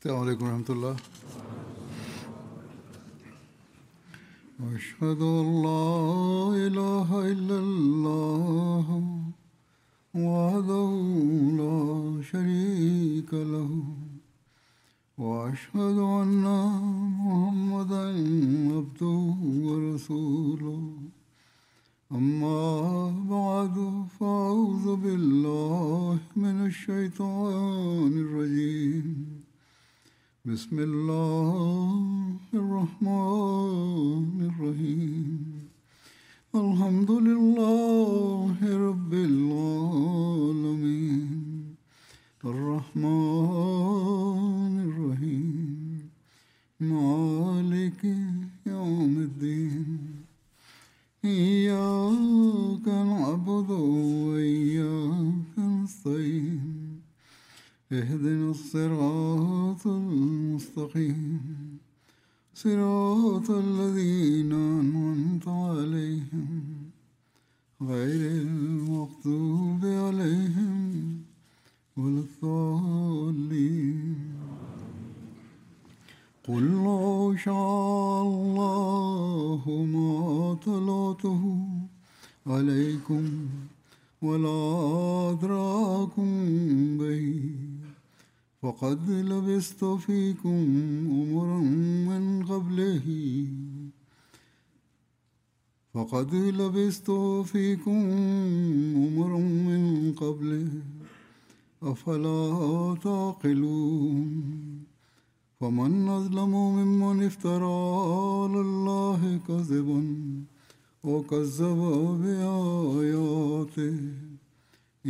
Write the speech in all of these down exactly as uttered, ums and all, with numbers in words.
السلام عليكم ورحمة الله. أشهد أن لا إله إلا الله وحده لا شريك له وأشهد أن محمدا عبده ورسوله. أما بعد فأعوذ بالله من الشيطان الرجيم. بسم الله الرحمن الرحيم. الحمد لله رب العالمين الرحمن الرحيم مالك يوم الدين. إياك نعبد وإياك نستعين. اهدنا الصراط المستقيم صراط الذين أنعمت عليهم غير المغضوب عليهم ولا الضالين. قل لو شاء الله ما تلوته عليكم ولا أدراكم به فقد لبثت فيكم عمرا من قبله فقد لبثت فيكم عمرا من قبله أفلا تعقلون. فمن أظلم ممن افترى على الله كذبا وكذب بآياته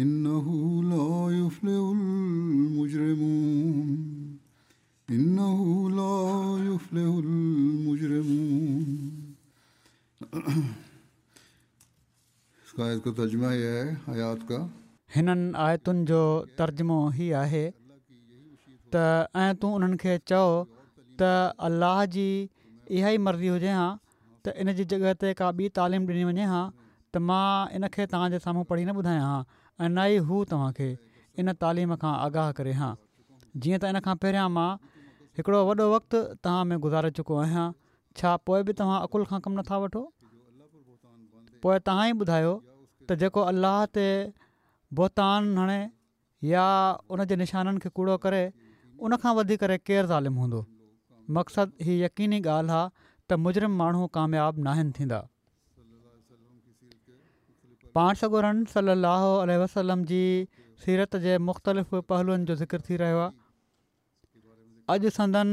إنه لا يفلح المجرمون. إنه لا يفلح المجرمون. اس کا آیت کا ترجمہ یہ ہے، آیات کا هنن آيتن جو ترجمو هي آهي ته ۽ تون انهن کي چئو ته الله جي اها ئي مرضي هجي ها ته ان جي جڳهه تي ڪا ٻي تعليم ڏني وڃي ها ته مان ان کي توهان جي سامهون پڙهي نه ٻڌايان ها ۽ نه ئي هو توهان کي ان تعليم کان آگاهه ڪري ها. جيئن ته ان کان پهريان مان هڪڙو وڏو وقت توهان ۾ گذاري چڪو آهيان، ڇا پوءِ به توهان عقل کان ڪم نٿا وٺو؟ پوءِ توهان ئي ٻڌايو ته جيڪو الله تي بهتان هڻي يا ان جي نشانن کي ڪوڙو ڪري ان کان وڌي ڪري ڪير ظالم هوندو؟ مقصد هي يقيني ڳالهه آهي ته مجرم ماڻهو ڪامياب ناهن ٿيندا. پاڻ سڳورن صلي الله عليه وسلم جي سيرت جي مختلف پهلوئن جو ذڪر ٿي رهيو آهي. اڄ سندن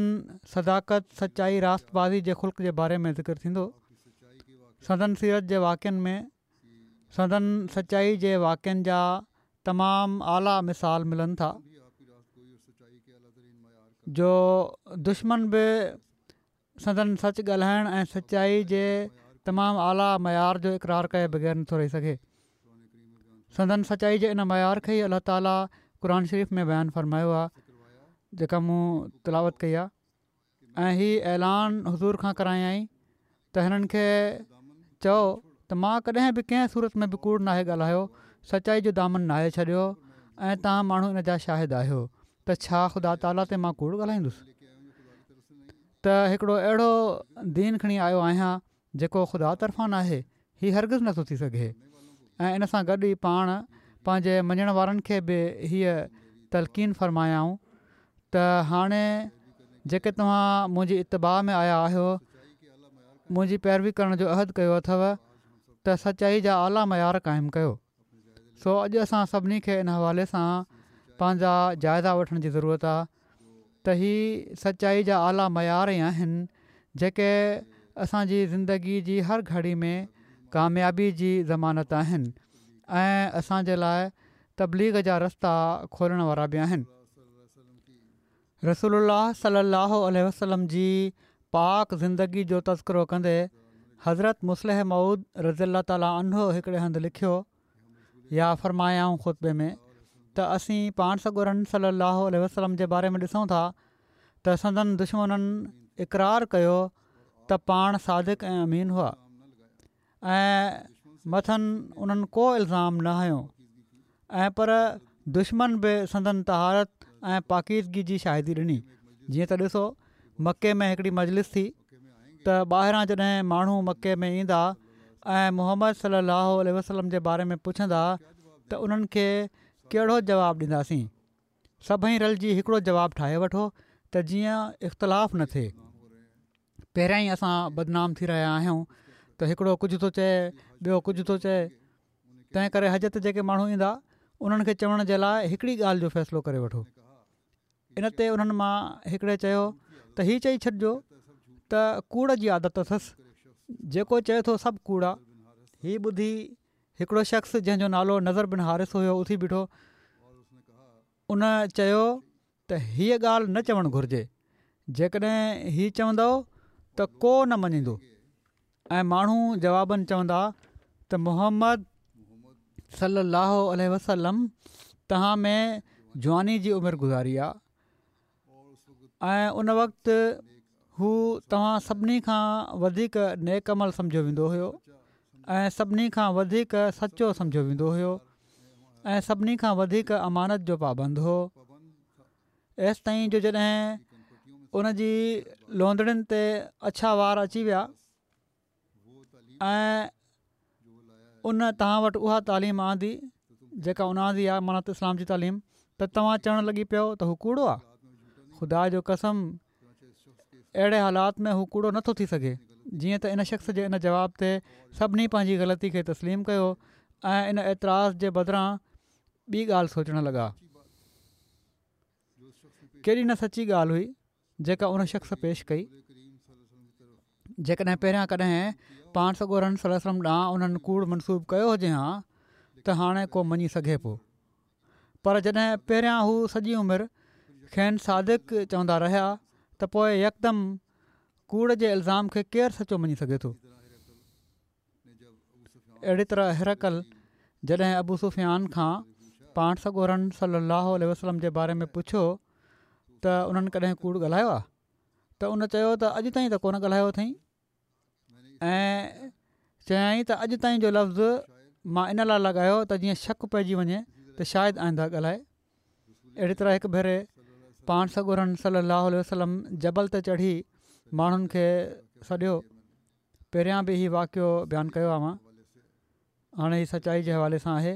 صداقت، سچائي، راستبازي جي خلق جي باري ۾ ذڪر ٿيندو. سندن سيرت جي واقعن ۾ سندن سچائي جي واقعن جا تمام اعليٰ مثال ملن ٿا، جو دشمن به سندن سچ ڳالهائڻ ۽ سچائي جي تمام اعليٰ معيار جو اقرار ڪئي بغير نٿو رهي سگهي. سندن سچائي جي ان معيار کي ئي الله تعاليٰ قرآن شريف ۾ بيان فرمايو آهي، جيڪا مون تلاوت ڪئي آهي. ۽ هي اعلان حضور کان ڪرايائين ته هنن کي چئو ته مان ڪڏهن به ڪنهن صورت ۾ به ڪوڙ ناهي ڳالهايو، سچائي جو دامن ناهي ڇڏيو ۽ توهان ماڻهو ان جا شاهد آهيو ته ڇا خدا تعاليٰ تي مان ڪوڙ ڳالهائيندس؟ ته هڪڙو اهڙو دين کڻي آيو آهيان جيڪو خدا طرفان ناهي، هي هرگز نٿو ٿي سگهي. ۽ ان سان گڏ ئي پاڻ پنهنجي مڃڻ وارن کي به هيءَ تلقين فرمايائون ته هاڻي جيڪي توهان منهنجي اتباع ۾ آيا آهيو، منهنجي پيروي ڪرڻ جو عهد ڪيو اٿو ته سچائي جا اعليٰ معيار قائم ڪيو. سو اڄ اسان سڀني کي ان حوالي سان پنهنجا جائزا وٺڻ جي ضرورت آهي ته هي سچائي جا اعليٰ معيار ئي آهن جيڪي اسان جي زندگي جي هر گهڙي ۾ ڪاميابي جي ضمانت آهن ۽ اسان جي لاءِ تبليغ جا رستا کولڻ وارا به آهن. رسول الله صلي الله عليه وسلم جي پاڪ زندگي جو تذڪرو ڪندي حضرت مصلح موعود رضي الله تعاليٰ عنه هڪڙي هنڌ لکيو يا فرمايائون خطبي ۾ ته اسين پاڻ سڳورن صلي الله عليه وسلم جي باري ۾ ڏسون ٿا ته سندن دشمنن اقرار ڪيو ته پاڻ صادق ۽ امين هئا ۽ مٿن انهن ڪو الزام نه هنيو ۽ پر دشمن به سندن طهارت ۽ پاڪيزگي جي شاهدي ڏني. جيئن ته ڏسو مڪي ۾ هڪڙي مجلس ٿي ته ٻاهران جڏهن ماڻهو مڪي ۾ ايندا ۽ محمد صلي الله عليه وسلم جي باري ۾ پڇندا ته انهن کي ڪهڙو جواب ڏينداسين. سڀئي رلجي هڪڙو جواب ٺاهي وٺو ته جيئن اختلاف نه ٿئي. پهريان ئي اسان بدنام ٿي رهيا آهيون ته هڪڙو ڪجهه ٿو چئي ٻيو ڪجهه ٿو چئي، تنهن ڪري حج تي جيڪي ماڻهو ايندا انهن کي چوڻ جي لاء هڪڙي ڳالهه جو فيصلو ڪري وٺو. ان تي انهن مان هڪڙي چيو ته هي چئي ڇڏجو ته ڪوڙ جي عادت اٿس، جيڪو چئي ٿو سڀ ڪوڙ آ. هي ٻڌي هڪڙو شخص جنهن جو نالو نضر بن حارث هيو اٿي بيٺو. ان چيو ته هيء ڳالهه نه چوڻ گهرجي، جيڪڏهن هي چوندؤ ته ڪو نه مڃيندو ۽ ماڻهو جوابن چوندا ته محمد صلي الله عليه وسلم توهان ۾ جواني جي عمر گذاري آ ۽ ان وقت هو توهان سڀني کان وڌيڪ نيڪ عمل سمجهيو ويندو هيو ۽ سڀني کان وڌيڪ سچو سمجهيو ويندو هيو ۽ سڀني کان وڌيڪ امانت جو پابند هو، ايستائين جو جڏهن ان جي لوندڙين تي اڇا وار اچي ويا ۽ ان توهان وٽ اها تعليم آندي جيڪا ان آندي آهي معنيٰ ته اسلام جي تعليم ته توهان چوڻ لڳي پيو ته هو ڪوڙو آهي. خدا جو قسم اهڙي حالات ۾ هو ڪوڙو نٿو ٿي سگهي. جيئن ته ان شخص جي ان جواب تي سڀني پنهنجي غلطي کي تسليم ڪيو ۽ ان اعتراض جي بدران ٻي ڳالهه سوچڻ لڳا. ڪيڏي نه سچي ڳالهه هئي جيڪا ان شخص پيش ڪئي. جيڪڏهن پهريان ڪڏهن پاڻ سڳورن صلي الله عليه وسلم ڏانهن انهن ڪوڙ منسوب ڪيو هجي ها ته هاڻي ڪو مڃي سگهي پيو. پر جڏهن پهريان هو سڄي عمر کين صادق چوندا رهيا ته پوء يڪدم ڪوڙ جي الزام کي ڪير سچو مڃي سگهي ٿو. اهڙي طرح هرقل جڏهن ابو سفيان کان پاڻ سڳورن صلي الله عليه وسلم جي باري ۾ پڇيو ته انهن ڪڏهن ڪوڙ ڳالهايو آهي ته ان چيو ته اڄ تائين ته ڪونه ڳالهايو اٿئين ۽ چيائين ته اڄ تائين جو لفظ مان ان لاء لڳايو ته جيئن شڪ پئجي وڃي ته شايد آئنده ڳالهائي. اهڙي طرح هڪ ڀيري پاڻ سڳورن صلي الله عليه وسلم جبل تي چڙهي ماڻهن کي سڏيو. پهريان به هي واقعو بيان ڪيو آهي مان، هاڻي هي سچائي جي حوالي سان آهي.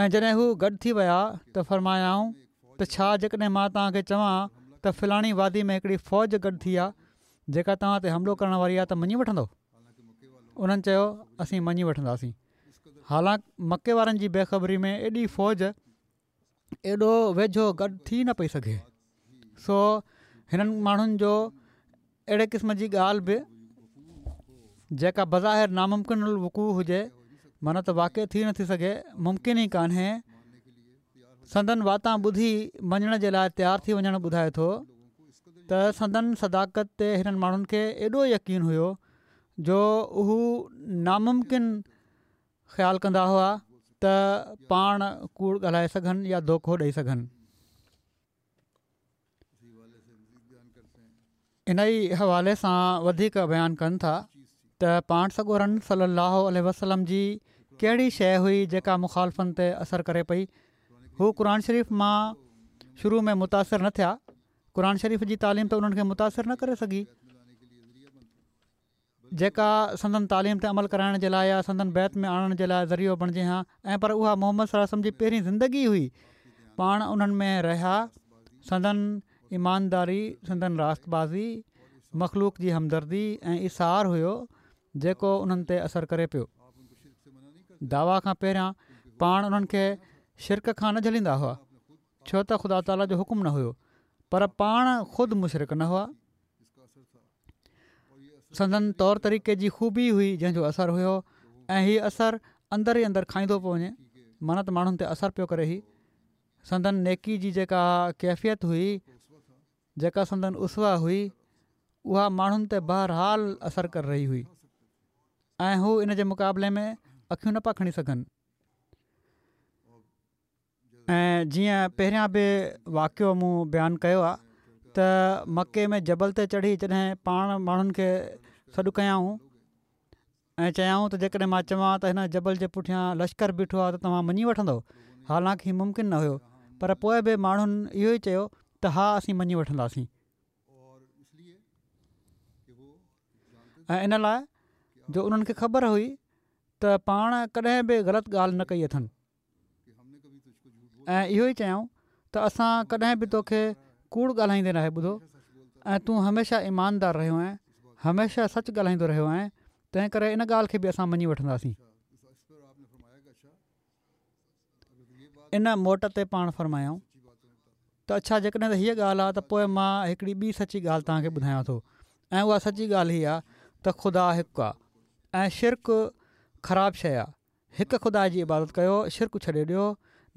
۽ جڏهن هو گڏ ٿي ويا ته فرمايائون ته ڇا جيڪڏهن مان توهان کي چوان ته فلاڻي وادي ۾ هڪڙي فوج گڏ ٿي آهي جيڪا توهان تي حملو ڪرڻ واري آهي ته مڃي وٺندؤ؟ انهن چيو اسين مڃي وٺنداسين. حالانڪ مڪي وارن جي بيخبري ۾ ايڏي فوج ايڏو ويجهو گڏ ٿي نه پئي سگهي. سو هنن ماڻهن جو اهڙي قسم جي ڳالهه به جيڪا بظاهر ناممڪن الوقوع هجي معنيٰ ته واقع ٿي نٿي سگهي ممڪن ئي ڪانهي سندن واتان ٻڌي مڃڻ جي لاء تيار ٿي وڃڻ ٻڌائي ٿو ته سندن صداقت تي هنن ماڻهن کي ايڏو يقين هيو جو هو ناممڪن خيال ڪندا هئا ته پاڻ ڪوڙ ڳالهائي سگهن يا دوکو ڏئي سگهن. انهي حوالي سان وڌيڪ بيان ڪن ٿا ته پاڻ سڳورن صلي الله عليه وسلم جي ڪهڙي شيء هئي جيڪا مخالفن تي اثر ڪري پئي. هو قرآن شريف مان شروع ۾ متاثر نه ٿيا. قرآن شريف جي تعليم ته انهن کي متاثر نه ڪري سگهي جيڪا سندن تعليم تي عمل ڪرائڻ جي لاء يا سندن بيعت ۾ آڻڻ جي لاء ذريعو بڻجي ها ۽ پر اها محمد صلي الله عليه وسلم جي پهرين زندگي هئي. پاڻ انهن ۾ رهيا. سندن ايمانداري، سندن راست بازي، مخلوق جي همدردي ۽ ايثار هيو جيڪو انهن تي اثر ڪري پيو. دعويٰ کان پهريان پاڻ انهن کي شرڪ کان نه جهليندا هئا ڇو ته خدا تعاليٰ جو حڪم نه هيو پر پاڻ خود مشرڪ نه هئا. سندن طور طريقي جي خوبي هئي جنهن جو اثر هيو ۽ هي اثر اندر ئي اندر کائيندو پيو وڃي معنيٰ ته ماڻهن تي اثر پيو ڪري. هي سندن نيڪي جي جيڪا ڪيفيت هئي جيڪا سندن اسوه هئي اها ماڻهن تي بهرحال اثر ڪري رهي هئي ۽ هو ان جي مقابلي ۾ اکيون نه پيا کڻي سگهن. ۽ جيئن پهريان به واقعو مون بيان ڪيو آهي ته مڪي ۾ جبل تي چڙهي جڏهن پاڻ ماڻهن کي سڏ ڪيائون ۽ چيائون ته جيڪڏهن مان چوان ته هن جبل جي پٺيان لشڪر بيٺو آهي ته توهان مڃي وٺندؤ؟ حالانڪ هي ممڪن نه هيو پر پوء به ماڻهن اهو ئي چيو ته ها اسين مڃي وٺنداسين. ۽ ان لاءِ جو انهن کي خبر هئي ته پاڻ ڪڏهن به غلط ڳالهه نه ڪئي اٿن ۽ اهو ئي چيائون ته اسان ڪڏهن به توکي ڪوڙ ڳالهائيندي ناهي ٻڌو ۽ تون هميشه ايماندار رهيو آهين، هميشه سچ ڳالهائيندو رهيو آهين، تنهن ڪري ان ڳالهه کي به اسان مڃي وٺنداسين. ان موٽ تي پاڻ فرمايائون ته اڇا جيڪڏهن ته هيءَ ڳالهه آهي ته پوءِ مان هڪڙي ٻي سچي ڳالهه توهان کي ٻڌايان ٿو ۽ اها سچي ڳالهه هيءَ آهي ته خدا هڪ آهي ۽ شرڪ خراب شيءِ آهي. هڪ خدا جي عبادت ڪيو، شرڪ ڇڏي ڏيو،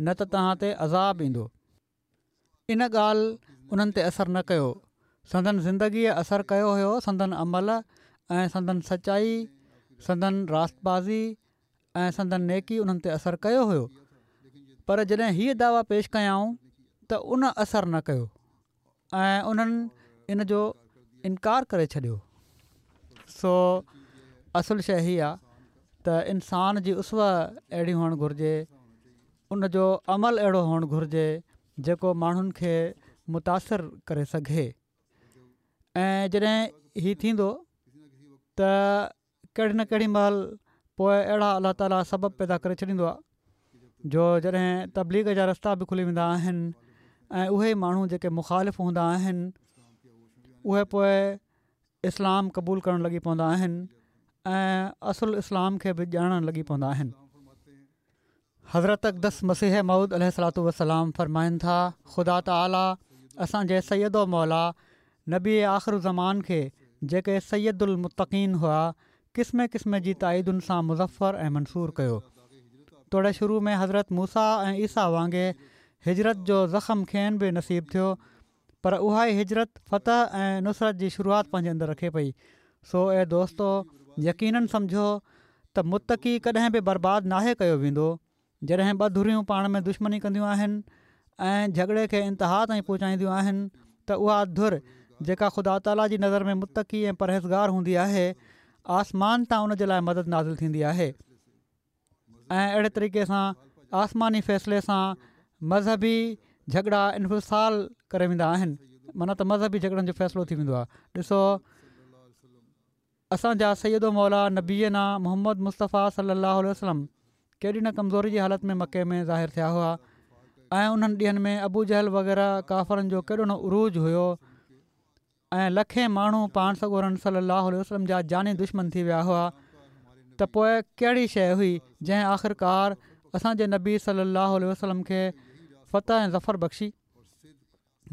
نه ته توهان تي عذاب ايندو. ان ڳالهه انهن تي اثر نه ڪيو. سندن زندگيءَ اثر ڪيو هيو، سندن عمل ۽ سندن سچائي، سندن راستبازي ۽ سندن نيڪي انهن تي اثر ڪيو هيو، پر جڏهن هيءَ دعويٰ پيش ڪيائون ته ان اثر نه ڪيو ۽ انهن ان جو انڪار ڪري ڇڏيو. سو اصل شيءِ هيءَ آهي ته انسان جي اسوه اهڙي هئڻ گهرجي، ان جو عمل اهڙو هئڻ گهرجي جيڪو ماڻهن کي متاثر ڪري سگهي. ۽ جڏهن هي ٿيندو ته ڪهڙي نه ڪهڙي مهل پوءِ اهڙا الله تعاليٰ سبب پيدا ڪري ڇڏيندو آهي جو جڏهن تبليغ جا رستا به کلي ويندا آهن ۽ اهي ماڻهو جيڪي مخالف هوندا آهن اهي پوءِ اسلام قبول ڪرڻ لڳي پوندا آهن ۽ اصل اسلام کي به ڄاڻڻ لڳي پوندا آهن. حضرت اقدس مسيح موعود عليه الصلوة والسلام فرمائن ٿا، خدا تعاليٰ اسان جي سيد و مولا نبي آخر زمان کي جيڪي سيد المتقين هئا قسم قسم جي تائيدن سان مظفر ۽ منصور ڪيو. توڙي شروع ۾ حضرت موسيٰ ۽ عيسيٰ وانگي هجرت جو زخم کين به نصيب ٿيو، پر اها ئي هجرت فتح ۽ نصرت جي شروعات پنهنجي اندر رکي پئي. سو اي دوستو، يقينن سمجهو ته متقي ڪڏهن به برباد ناهي ڪيو ويندو. جڏهن ٻه ڌريون پاڻ ۾ دشمني ڪنديون آهن ۽ جهڳڙي کي انتها تائين پهچائينديون آهن ته اها ڌر جيڪا خدا تعاليٰ جي نظر ۾ متقي ۽ پرهيزگار هوندي آهي، آسمان تان ان جي لاءِ مدد نازل ٿيندي آهي ۽ اهڙي طريقي سان آسماني فيصلي سان مذهبي جهڳڙا انفصال ڪري ويندا آهن، معنيٰ ته مذهبي جهڳڙن جو فيصلو ٿي ويندو آهي. ڏسو اسان جا سيد و مولا نبينا محمد مصطفيٰ صلي الله عليه وسلم ڪيڏي نه ڪمزوري جي حالت ۾ مڪي ۾ ظاهر ٿيا هئا ۽ انهن ڏينهن ۾ ابو جهل وغيره ڪافرن جو ڪيڏو نه عروج هيو ۽ لکين ماڻهو پاڻ سڳورن صلي الله عليه وسلم جا جاني دشمن ٿي ويا هئا، ته پوءِ ڪهڙي شيءِ هئي جنهن آخرڪار اسان جي نبي صلي الله عليه وسلم کي فتح ۽ ظفر بخشي؟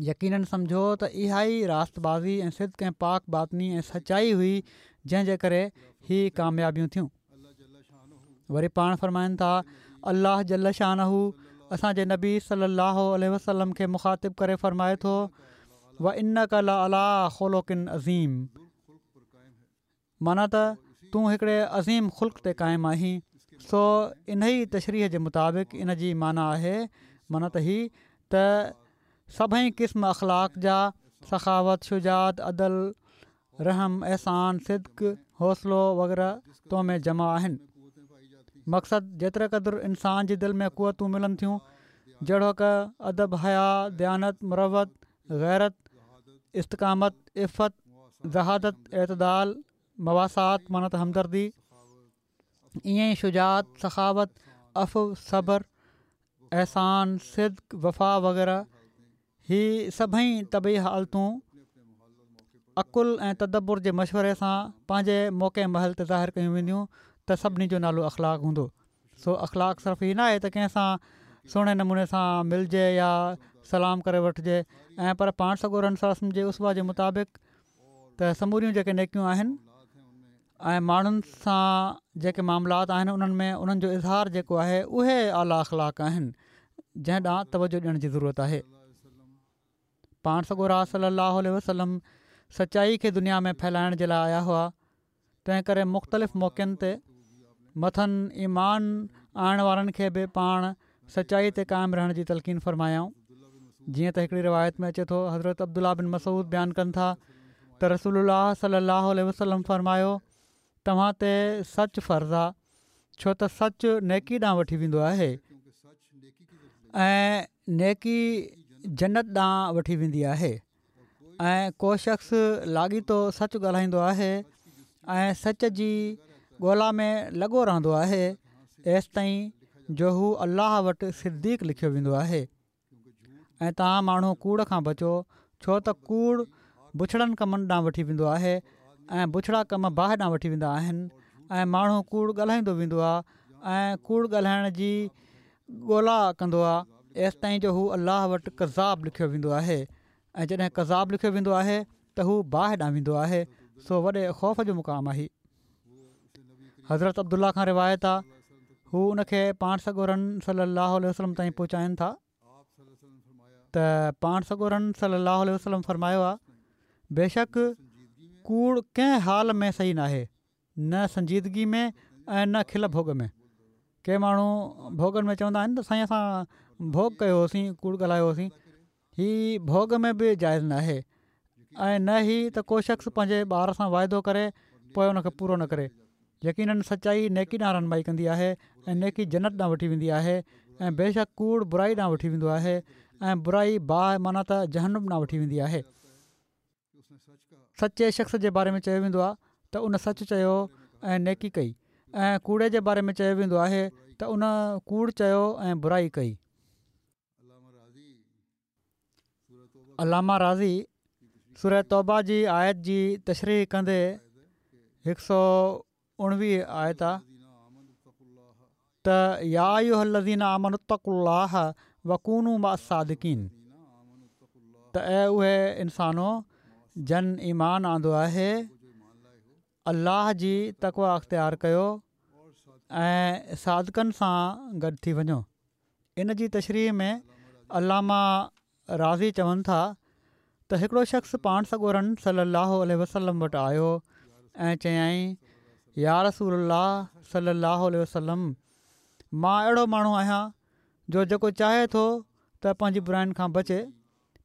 يقينن سمجهو ته اها ئي راستبازي ۽ صدق ۽ پاڪ باطني ۽ سچائي هئي جنهن جي ڪري هي ڪاميابيون ٿيون. وري پاڻ فرمائن ٿا، الله جل شانه اسان جي نبي صلي الله عليه وسلم کي مخاطب ڪري فرمائي ٿو، وانڪ لعليٰ خلق عظيم، معنيٰ ته تون هڪڙي عظيم خلق تي قائم آهين. سو انهي تشريح جي مطابق ان جي معنيٰ آهي، معنيٰ ته هي ته سڀئي قسم اخلاق جا، سخاوت، شجاعت، عدل، رحم، احسان، صدق، حوصلو وغيره تو ۾ جمع آهن. مقصد جيتري قدر انسان جي دل ۾ قوتون ملن ٿيون، جهڙوڪ ادب، حيا، ديانت، مروت، غيرت، استقامت، عفت، زهادت، اعتدال، مواسات معنيٰ ته همدردي، ائين ئي شجاعت، سخاوت، عفو، صبر، احسان، صدق، وفا وغيره، هي سڀئي طبعي حالتون عقل ۽ تدبر جي مشوري سان پنهنجي موقعي محل تي ظاهر ڪيون وينديون ته سڀني جو نالو اخلاق هوندو. سو اخلاق صرف هي نه آهي ته ڪنهن سان سهڻي نموني سان ملجي يا سلام ڪري وٺجي، ۽ پر پاڻ سڳورن صلي الله عليه وسلم جي اسوه جي مطابق ته سموريون جيڪي نيڪيون آهن ۽ ماڻهن سان جيڪي معاملات آهن انهن ۾ انهن جو اظهار جيڪو آهي اهي اعليٰ اخلاق آهن جنهن ڏانهن توجهه ڏيڻ جي ضرورت آهي. پاڻ سڳورا صلي الله عليه وسلم سچائي کي دنيا ۾ ڦهلائڻ جي لاءِ آيا هئا، تنهن ڪري مختلف موقعن تي مٿن ايمان آڻڻ وارن کي به پاڻ سچائي تي قائم رهڻ جي تلقين فرمايائون. جيئن ته هڪڙي روايت ۾ اچي ٿو، حضرت عبدالله بن مسعود بيان ڪن ٿا ته رسول الله صلي الله عليه وسلم فرمايو، توهان تي سچ فرض آ، ڇو ته سچ نيڪي ڏانهن وٺي ويندو آهي ۽ نيڪي جنت ڏانهن وٺي ويندي آهي ۽ ڪو شخص لاڳيتو سچ ڳالهائيندو آهي ۽ سچ جي ڳولا ۾ لڳو رهندو آهي ايستائين جو هو الله وٽ صديق لکيو ويندو آهي. ۽ توهان ماڻهو ڪوڙ کان بچو ڇو ته ڪوڙ بڇڙن ڪمن ڏانهن وٺي ويندو آهي ۽ بڇڙا ڪم باهه ڏانهن وٺي ويندا آهن ۽ ماڻهو ڪوڙ ڳالهائيندو ويندو آهي ۽ ڪوڙ ڳالهائڻ جي ڳولا ڪندو آهي ايستائين جو هو الله وٽ ڪذاب لکيو ويندو آهي ۽ جڏهن ڪذاب لکيو ويندو آهي ته هو باهه ڏانهن ويندو آهي سو وڏي خوف جو مقام آهي. حضرت عبدالله کان روايت آ هو ان کي پاڻ سڳورن صلي الله عليه وسلم تائين پهچائن ٿا ته پاڻ سڳورن صلي الله عليه وسلم فرمايو آ بيشڪ ڪوڙ ڪنهن حال ۾ صحيح ناهي نه سنجيدگي ۾ ۽ نه کل ڀوڳ ۾. ڪي ماڻهو ڀوڳن ۾ چوندا آهن ته سائين اسان ڀوڳ ڪيو هوسين ڪوڙ ڳالهايو هوسين. هي ڀوڳ ۾ به جائز ناهي ۽ نه هي ته ڪو شخص پنهنجي ٻار سان واعدو ڪري پوء ان کي پورو نه ڪري. يقيناً سچائي نيڪي ڏانهن رهنمائي ڪندي آهي ۽ نيڪي جنت ڏانهن وٺي ويندي آهي ۽ بيشڪ ڪوڙ برائي ڏانهن وٺي ويندو آهي ۽ برائي باهه معنيٰ ته جهنم ڏانهن وٺي ويندي آهي. سچي شخص جي باري ۾ چيو ويندو آهي ته ان سچ چيو ۽ نيڪي ڪئي ۽ ڪوڙي جي باري ۾ چيو ويندو آهي ته ان ڪوڙ چيو ۽ برائي ڪئي. علامه رازي سوره توبه جي آيت جي تشريح ڪندي هڪ سؤ اڻويهه آيت آ ته يا ايها الذين آمنوا اتقوا الله وڪونوا مع الصادقين ته اي اهي انسانو جن ايمان آندو آهي الله جي تقويٰ اختيار ڪيو ۽ صادقن سان گڏ ٿي وڃو. ان جي تشريح ۾ علامه رازي چون ٿا ته هڪڙو شخص پاڻ سڳورن صلّي اللّٰه عليه وسلّم وٽ آيو ۽ چيائين يا رسول الله صلّي اللّٰه عليه وسلّم مان اهڙو ماڻهو آهيان جو جيڪو چاهي ٿو ته پنهنجي براين کان بچي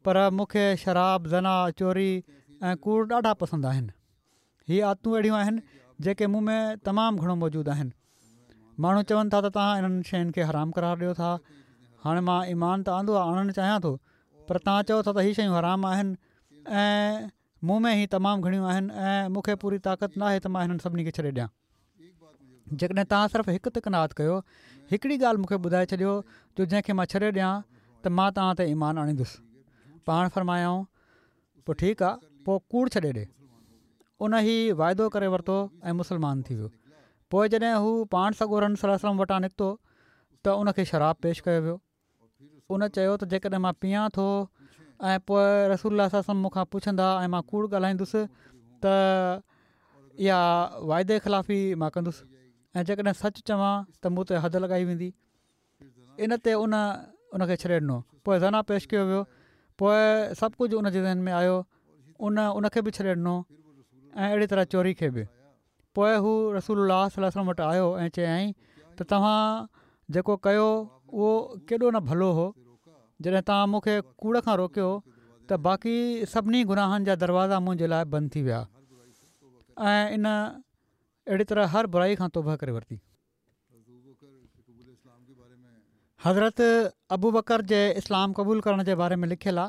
پر مون کي شراب، زنا، چوري ۽ ڪوڙ ڏاڍا پسند آهن. هي عادتون اهڙيون آهن جيڪي مون ۾ تمام گهڻو موجود آهن. ماڻهو چون ٿا ته توهان انهن شين کي حرام قرار ڏيو ٿا. هاڻي مان ايمان ته آندو آهي آڻڻ چاهيان ٿو پر توهان چئو ٿا ته هي شيون حرام آهن ۽ مون ۾ هي تمام گهڻيون آهن ۽ مون کي پوري طاقت ناهي ته مان هنن سڀني کي ڇڏي ڏيان. جيڪڏهن توهان صرف هڪ تي قناعت ڪيو، هڪڙي ڳالهه مون کي ٻڌائي ڇڏيو جو جنهن کي مان ڇڏي ڏيان ته مان توهان تي ايمان آڻيندس. پاڻ فرمايائون پوء ٺيڪ آ، پوء ڪوڙ ڇڏي ڏي. ان هي واعدو ڪري ورتو ۽ مسلمان ٿي ويو. پوء جڏهن هو پاڻ سڳورن صلي الله عليه وسلم وٽان نڪتو ته ان کي شراب پيش ڪيو ويو. ان چيو ته جيڪڏهن مان پيئان ٿو ۽ پوء رسول الله صلي الله عليه وسلم مون کان پڇندا ۽ مان ڪوڙ ڳالهائيندس ته اها واعدي خلافي مان ڪندس ۽ جيڪڏهن سچ چوان ته مون تي حد لڳائي ويندي. ان تي ان ان کي ڇڏي ڏنو. پوء زنا پيش ڪيو ويو. پوء سڀ ڪجهه ان جي ذهن ۾ آيو. ان ان کي به ڇڏي ڏنو ۽ اهڙي طرح چوري کي به. پوء هو رسول الله صلي الله عليه وسلم وٽ آيو ۽ چيائين ته توهان جيڪو ڪيو اهو ڪيڏو نه ڀلو هو. جڏهن توهان مون کي ڪوڙ کان روڪيو ته باقي سڀني گناهن جا دروازا منهنجي لاء بند ٿي ويا ۽ ان اهڙي طرح هر برائي کان توبهه ڪري ورتي. حضرت ابوبڪر جي اسلام قبول ڪرڻ جي باري ۾ لکيل آ،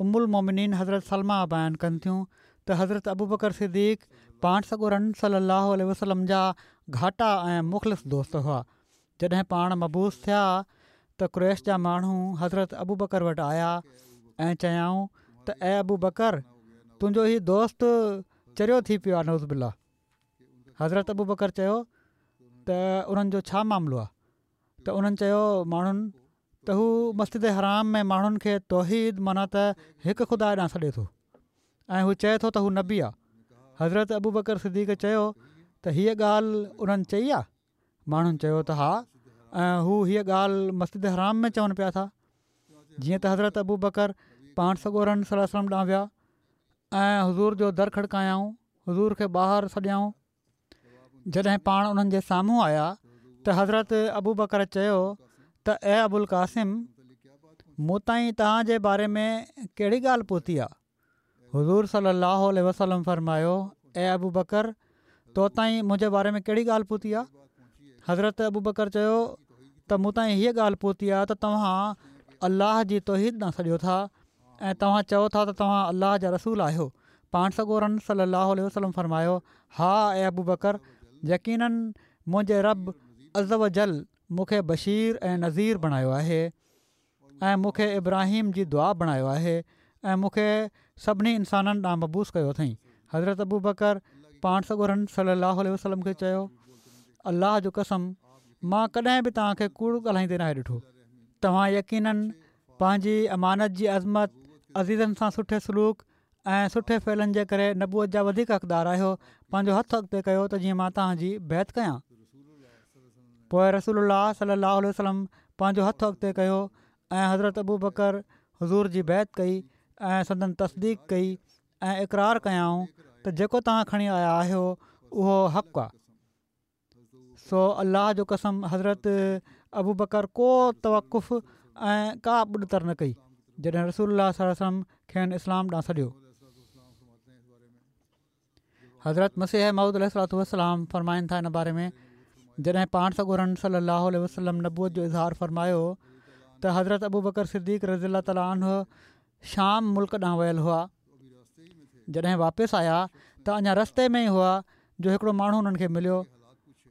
ام المومنين حضرت سلمه بيان ڪن ٿيون ته حضرت ابوبڪر صديق پاڻ سڳورن صلي الله عليه وسلم جا گهاٽا ۽ مخلص دوست هئا. جڏهن پاڻ مبعوث ٿيا ته قريش جا ماڻهو حضرت ابوبڪر وٽ آيا ۽ چيائون ته اي ابوبڪر! تنهنجو هي دوست چريو ٿي پيو آ نعوذ بالله. حضرت ابوبڪر چيو ته انهن جو ڇا معاملو آهي ته انهن چيو ماڻهن ته هو مسجد حرام ۾ ماڻهن کي توحيد معنيٰ ته هڪ خدا ڏانهن سڏي ٿو ۽ هو چئي ٿو ته هو نبي آهي حضرت ابوبڪر صديق چيو ته هيء ڳالهه انهن چئي آهي ماڻهن چيو ته ها ۽ هو هيء ڳالهه مسجد حرام ۾ چون پيا ٿا جيئن ته حضرت ابوبڪر پاڻ سڳورن صلي الله عليه وسلم ڏانهن ويا ۽ حضور جو در کڙڪايائون حضور کي ٻاهر سڏيائون جڏهن پاڻ انهن جي سامهون آيا ته حضرت ابوبڪر چيو ته اي ابوالقاسم مون تائين توهان جي باري ۾ ڪهڙي ڳالهه پهتي آ؟ حضور صلي الله عليه وسلم فرمايو اي ابوبڪر تو تائين منهنجي باري ۾ ڪهڙي ڳالهه پهتي آ؟ حضرت ابوبڪر چيو ته مون تائين هيء ڳالهه پهتي آ ته توهان الله جي توحيد ڏانهن سڏيو ٿا ۽ توهان چئو ٿا ته توهان الله جا رسول آهيو. پاڻ سڳورن صلي الله عليه وسلم فرمايو، ها اي ابوبڪر، يقيناً منهنجي رب عزّوجلّ مون کي بشير ۽ نذير بڻايو آهي ۽ مون کي ابراهيم جي دعا بڻايو آهي ۽ مون کي سڀني انسانن ڏانهن مبعوث ڪيو اٿئين. حضرت ابوبڪر پاڻ سڳورن صلي الله عليه وسلم کي چيو، الله جو قسم مان ڪڏهن به توهان کي ڪوڙ ڳالهائيندي ناهي ڏٺو. توهان يقيناً پنهنجي امانت جي عظمت، عزيزن سان سٺي سلوڪ ۽ سٺي فعلن جي ڪري نبوت جا وڌيڪ حقدار آهيو. پنهنجو هٿ اڳتي ڪيو ته جيئن مان توهان جي بيعت ڪيان. پوء رسول الله صلي الله عليه وسلم پنهنجو هٿ اڳتي ڪيو ۽ حضرت ابوبڪر حضور جي بيعت ڪئي ۽ سندن تصديق ڪئي ۽ اقرار ڪيائون ته جيڪو توهان کڻي آيا آهيو اهو حق آهي. سو الله جو قسم حضرت ابوبڪر ڪو توقف ۽ ڪا ٻڏتر نه ڪئي جڏهن رسول الله صلي الله عليه وسلم کين اسلام ڏانهن سڏيو. حضرت مسيح موعود عليه الصلوة والسلام فرمائن ٿا ان باري ۾ جڏهن پاڻ سڳورن صلي الله عليه وسلم نبوت جو اظهار فرمايو ته حضرت ابوبڪر صديق رضي الله تعالٰي عنه شام ملڪ ڏانهن ويل هئا. جڏهن واپس آيا ته اڃا رستي ۾ ئي هئا جو هڪڙو ماڻهو انهن کي مليو.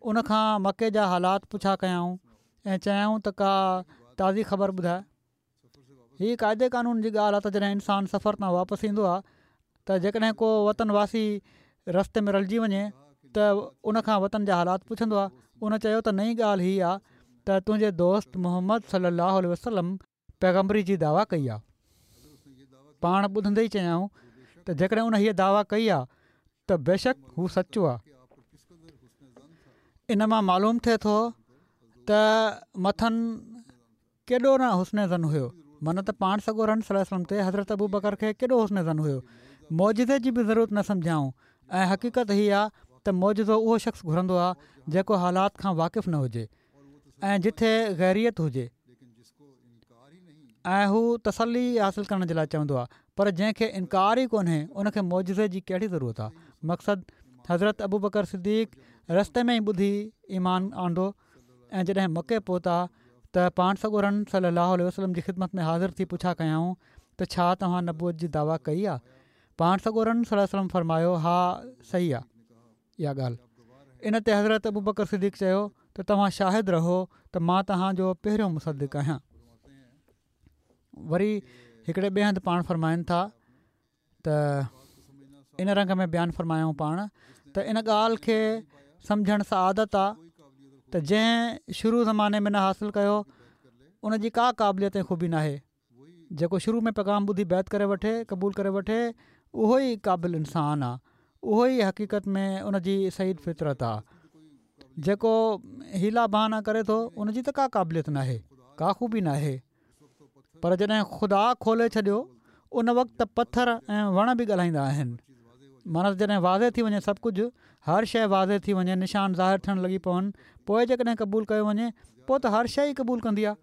ان کان مڪي جا حالات پڇا ڪيائون ۽ چيائون ته ڪا تازي خبر ٻڌاء. هي قاعدي قانون جي ڳالهه آهي ته جڏهن انسان سفر تان واپس ايندو آهي ته جيڪڏهن ڪو وطن واسي رستي ۾ رلجي وڃي ته ان کان وطن جا حالات پڇندو آهي. ان چيو ته نئين ڳالهه هي آهي ته تنهنجي دوست محمد صلي الله عليه وسلم پيغمبري جي دعويٰ ڪئي آهي. پاڻ ٻڌندي ئي چيائون ته جيڪڏهن ان هيء دعويٰ ڪئي آهي ته بيشڪ هو سچو آهي. ان مان معلوم ٿئي ٿو ته مٿن ڪيڏو نه حسن ظن هيو، معنيٰ ته پاڻ سڳورن صلي الله عليه وسلم تي حضرت ابوبڪر کي ڪيڏو حسن ظن هيو. معجزي جي به ضرورت نه سمجهيائون ۽ حقيقت هي آ ته معجزو اهو شخص گهرندو آ جيڪو حالات کان واقف نه هجي ۽ جٿي غيريت هجي ۽ هو تسلي حاصل ڪرڻ جي لاء چوندو آ پر جنهن کي انڪار ئي ڪونهي ان کي معجزي جي ڪهڙي ضرورت آ. مقصد حضرت ابوبڪر صديق رستي ۾ ئي ٻڌي ايمان آندو ۽ جڏهن مڪي پهتا ته پاڻ سڳورن صلي الله عليه وسلم جي خدمت ۾ حاضر ٿي پڇا ڪيائون ته ڇا توهان نبوت جي دعويٰ ڪئي آ؟ پاڻ سڳورن صلي الله عليه وسلم فرمايو ها صحيح آ اها ڳالهه. ان تي حضرت ابوبڪر صديق چيو ته توهان شاهد رهو ته مان توهان جو پهريون مصدق آهيان. وري هڪڙي ٻئي هنڌ پاڻ فرمائن ٿا ته ان رنگ ۾ بيان فرمايائون پاڻ ته ان ڳالهه کي سمجهڻ سعادت آ ته جنهن شروع زماني ۾ نه حاصل ڪيو ان جي ڪا قابليت ۽ خوبي ناهي جيڪو شروع ۾ پيغام ٻڌي بيعت ڪري وٺي قبول ڪري وٺي اهو ئي قابل انسان آ اهو ئي حقيقت ۾ ان جي سعيد فطرت آ جيڪو حيلا بهانا ڪري ٿو ان جي ته ڪا قابليت ناهي ڪا خوبي ناهي پر جڏهن خدا کولي ڇڏيو ان وقت ته پٿر ۽ وڻ به ڳالهائيندا آهن. معنيٰ ته جڏهن واضح ٿي وڃي سڀ ڪجهه، هر شيء واضح ٿي وڃي، نشان ظاهر ٿيڻ لڳي پون، پوء جيڪڏهن قبول ڪيو وڃي، پوء ته هر شيء ئي قبول ڪندي آهي.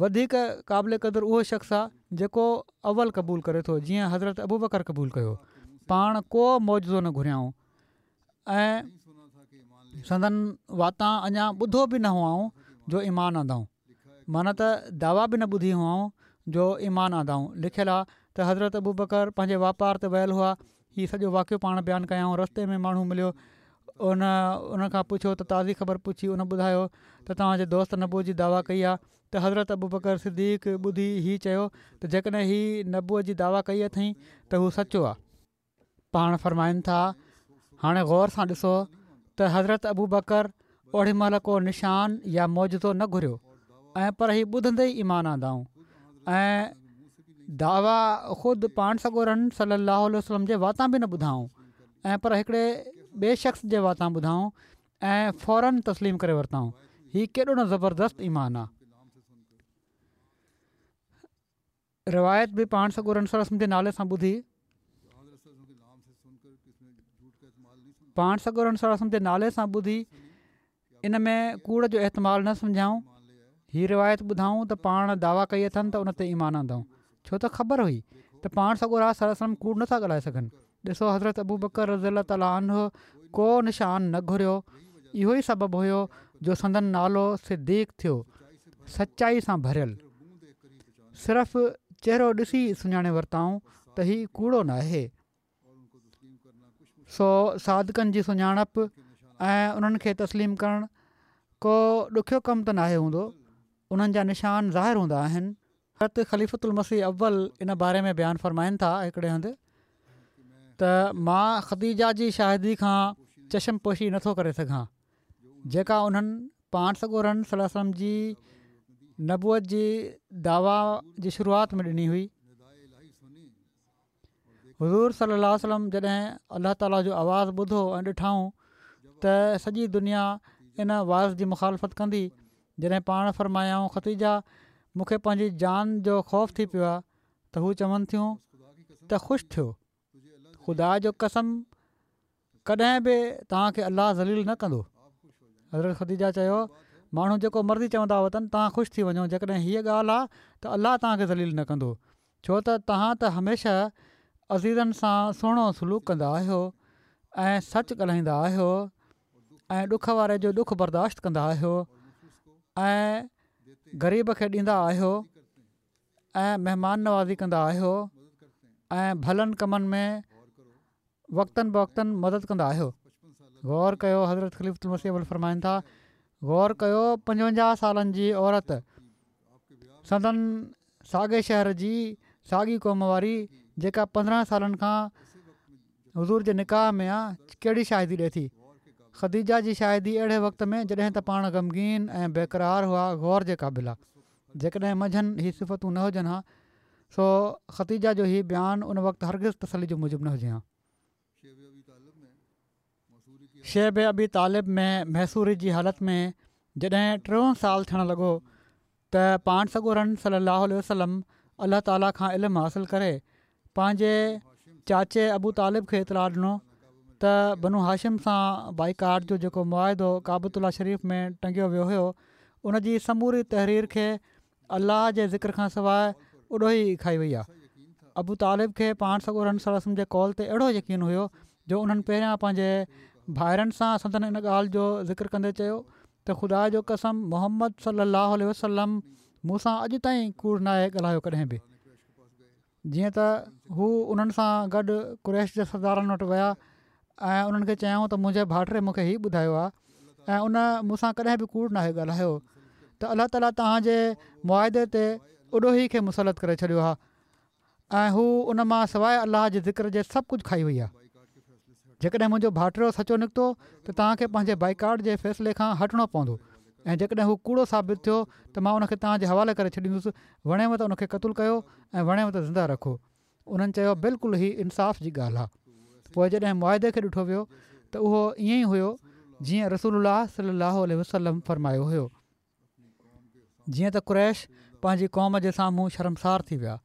وڌيڪ قابل قدر اهو شخص آهي جيڪو اول قبول ڪري ٿو، جيئن حضرت ابوبڪر قبول ڪيو. پاڻ ڪو معجزو نه گهريائون ۽ سندن واتان اڃا ٻڌو به نه هئائون جو ايمان آندائون. معنيٰ ته دعويٰ به نه ٻڌي هئائون جو ايمان آندائون. لکيل آ ته حضرت ابوبڪر پنهنجي واپار تي ويل هئا. هي سڄو واقعو پاڻ بيان ڪيائون. رستي ۾ ماڻهو مليو. ان ان کان پڇيو ته تازي خبر پڇي ان ٻڌايو ته توهان جي دوست نبوت جي دعويٰ ڪئي آ ته حضرت ابوبڪر صديق ٻڌي هي چيو ته جيڪڏهن هي نبوت جي دعويٰ ڪئي اٿئين ته هو سچو آ. پاڻ فرمائن ٿا، هاڻي غور سان ڏسو ته حضرت ابوبڪر اوڏي مهل ڪو نشان يا معجزو نه گهريو ۽ پر هي ٻڌندي ئي ايمان آندائون ۽ دعويٰ خود پاڻ سڳورن صلي الله عليه وسلم جي واتان به نه ٻڌائون ۽ پر هڪڙي ٻئي شخص جي واتان ٻڌائون ۽ فورن تسليم ڪري ورتائون هي ڪيڏو نه زبردست ايمان آ. روايت به پاڻ سڳورن صلي الله عليه وسلم جي نالي سان ٻڌي. پاڻ سڳورن صلي الله عليه وسلم جي نالي سان ٻڌي ان ۾ ڪوڙ جو احتمال نه سمجهيائون. هي روايت ٻڌائون ته پاڻ دعويٰ ڪئي اٿن ته ان تي ايمان آندائون. ڇو ته خبر هئي ته پاڻ سڳورا صلي الله عليه وسلم ڪوڙ نٿا ڳالهائي سگهن. ڏسو حضرت ابوبڪر رضي الله تعالٰي عنه ڪو نشان نه گهريو اهو ئي سبب هيو جو سندن نالو صديق ٿيو. سچائي سان ڀريل. صرف چهرو ڏسي سڃاڻي ورتائون ته هي ڪوڙو ناهي. سو صادقن جي سڃاڻپ ۽ انهن کي تسليم ڪرڻ ڪو ڏکيو ڪم ته ناهي هوندو. انهن جا نشان ظاهر هوندا آهن. حضرت خليفة المسيح اول ان باري ۾ بيان فرمائن ٿا هڪڙي هنڌ ته مان خديجه جي شاهدي کان چشم پوشي نٿو ڪري سگهان جيڪا انهن پاڻ سڳورن صلي الله عليه وسلم جي نبوت جي دعويٰ جي شروعات ۾ ڏني هئي. حضور صلي الله عليه وسلم جڏهن الله تعاليٰ جو آواز ٻڌو ۽ ڏٺائون ته سڄي دنيا ان وعظ جي مخالفت ڪندي، جڏهن پاڻ فرمايائون خديجه مون کي پنهنجي جان جو خوف ٿي پيو آهي ته هو چون ٿيون ته خوش ٿيو، خدا جو قسم ڪڏهن به توهان کي الله ذليل نه ڪندو. حضرت خديجه چيو ماڻهو جيڪو مرضي چوندا وتن توهان خوش ٿي وڃو، جيڪڏهن هيء ڳالهه آهي ته الله توهان کي ذليل نه ڪندو، ڇو ته توهان ته هميشه عزيزن سان سهڻو سلوڪ ڪندا آهيو ۽ سچ ڳالهائيندا آهيو ۽ ڏک واري جو ڏک برداشت ڪندا آهيو ۽ غريب کي ڏيندا آهيو ۽ مهمان نوازي ڪندا آهيو ۽ ڀلن ڪمن ۾ وقتاً فوقتاً مدد ڪندا آهيو. غور ڪيو حضرت خليفة المسيح اول فرمائن ٿا غور ڪيو پنجونجاهه سالن جي عورت سندن ساڳي شهر جي ساڳي قوم واري جيڪا پندرهن سالن کان حضور جي نڪاح ۾ آ ڪهڙي شاهدي ڏي ٿي. خديجه جي شاهدي اهڙي وقت ۾ جڏهن ته پاڻ غمگين ۽ بيقرار هئا غور جي قابل آ. جيڪڏهن منجهن هي صفتون نه هجن ها سو خديجه جو هي بيان ان وقت هرگز تسلي جو موجب نه هجي ها. شعب ابي طالب ۾ محصوري جي حالت ۾ جڏهن ٽيون سال ٿيڻ لڳو ته پاڻ سڳورن صلي الله عليه وسلم الله تعاليٰ کان علم حاصل ڪري پنهنجي چاچي ابو طالب کي اطلاع ڏنو ته بنو هاشم سان بائيڪاٽ جو جيڪو معاهدو ڪعبة الله شريف ۾ ٽنگيو ويو هيو ان جي سموري تحرير کي الله جي ذڪر کان سواء اڏوهي کائي وئي آهي. ابو طالب کي پاڻ سڳورن صلي الله عليه وسلم جي قول تي اهڙو يقين هيو جو انهن پهريان پنهنجي ڀائرن سان سندن ان ڳالهه جو ذڪر ڪندي چيو ته خدا جو قسم محمد صلي الله عليه وسلم مون سان اڄ تائين ڪوڙ ناهي ڳالهايو ڪڏهن به. جيئن ته هو انهن سان گڏ قريش جي سردارن وٽ ويا ۽ انهن کي چيائون ته منهنجي ڀائٽي مون کي هي ٻڌايو آهي ۽ ان مون سان ڪڏهن به ڪوڙ ناهي ڳالهايو ته الله تعاليٰ توهان جي معاهدي تي اڏوهي کي مسلط ڪري ڇڏيو آهي ۽ هو ان مان سواء الله جي ذڪر جي سڀ ڪجهه کائي وئي آهي. جيڪڏهن منهنجو ڀائٽيو سچو نڪتو ته توهان کي پنهنجي بائيڪاٽ جي فيصلي کان هٽڻو پوندو ۽ جيڪڏهن هو ڪوڙو ثابت ٿيو ته مان ان کي توهان جي حوالي ڪري ڇڏيندس، وڻيو ته ان کي قتل ڪيو ۽ وڻيو ته زنده رکو. انهن چيو بلڪل هي انصاف جي ڳالهه آهي. پوء جڏهن معاهدي کي ڏٺو ويو ته اهو ائين ئي هيو جيئن رسول الله صلي الله عليه وسلم فرمايو هيو. جيئن ته قريش پنهنجي قوم جي سامهون شرمسار ٿي ويا.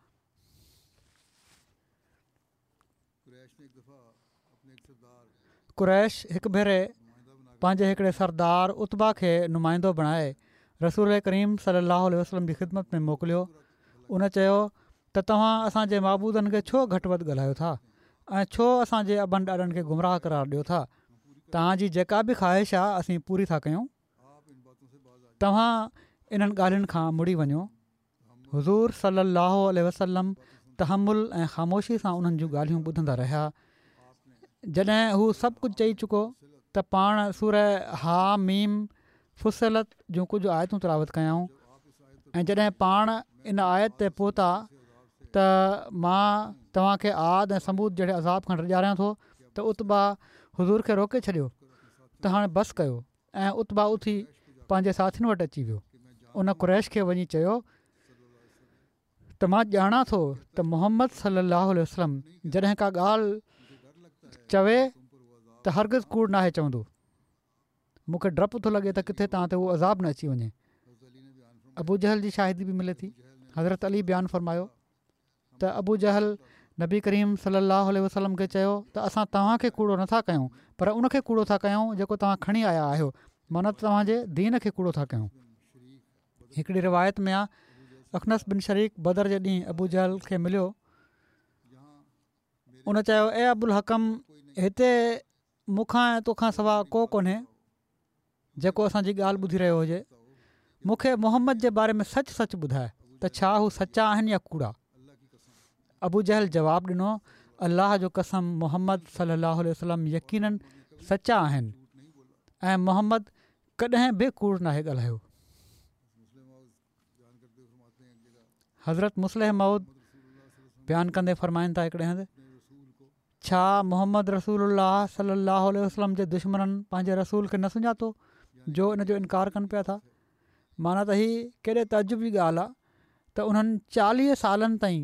قريش هڪ ڀيري پنهنجي هڪڙي سردار عتبه کي نمائندو بڻائي رسول ڪريم صلي الله عليه وسلم جي خدمت ۾ موڪليو. ان چيو ته توهان اسان جي معبودن کي ڇو گهٽ وڌ ڳالهايو ٿا ۽ ڇو اسان جي ابن ڏاڏن کي گمراهه قرار ڏيو ٿا؟ توهان جي جيڪا به خواهش آهي اسين پوري ٿا ڪيون. توهان انهن ڳالهين کان مڙي وڃو. حضور صلي الله عليه وسلم تحمل ۽ خاموشي سان انهن جون ڳالهيون ٻڌندا رهيا. جڏهن هو سڀ ڪجهه چئي چڪو ته پاڻ سوره حاميم فصلت جون ڪجهه آيتون تلاوت ڪيائون ۽ جڏهن پاڻ ان آيت تي پهتا ته مان توهان کي عاد ۽ ثمود جهڙي عذاب کان ڊيڄاريان ٿو ته عتبه حضور کي روڪي ڇڏيو ته هاڻي بس ڪيو ۽ عتبه اٿي پنهنجي ساٿين وٽ اچي ويو. ان قريش کي وڃي چيو ته مان ڄاڻان ٿو ته محمد صلي الله عليه وسلم جڏهن ڪا ڳالهه چوي ته هرگز ڪوڙ ناهي چوندو. مون کي ڊپ ٿو لڳي ته ڪٿي توهان تي اهو عذاب نه اچي وڃي. ابو جهل جي شاهدي به ملي ٿي. حضرت علي بيان فرمايو ته ابو جهل نبي ڪريم صلي الله عليه وسلم کي چيو ته اسان توهان کي ڪوڙو نٿا ڪيون پر ان کي ڪوڙو ٿا ڪيون جيڪو توهان کڻي آيا آهيو، معنيٰ ته توهان جي دين کي ڪوڙو ٿا ڪيون. هڪڙي روايت ۾ آ اخنس بن شريڪ بدر جي ڏينهن ابو جهل کي مليو. ان چيو اي ابوالحڪم هتي مون کان ۽ توکان سوا ڪو ڪونهي جيڪو اسان جي ڳالهه ٻڌي رهيو هجي. مون کي محمد جي باري ۾ سچ سچ ٻڌاءِ ته ڇا هو سچا آهن يا ڪوڙا؟ ابو جهل جواب ڏنو، الله جو قسم محمد صلي الله عليه وسلم يقيناً سچا آهن ۽ محمد ڪڏهن به ڪوڙ ناهي ڳالهايو. حضرت مصلح موعود بيان ڪندي فرمائن ٿا هڪڙي هنڌ، ڇا محمد رسول الله صلي الله عليه وسلم جي دشمنن پنهنجي رسول کي نه سڃاتو جو ان جو انڪار ڪن پيا ٿا؟ معنيٰ ته هي ڪيڏي تعجب جي ڳالهه آهي ته انهن چاليهه سالن تائين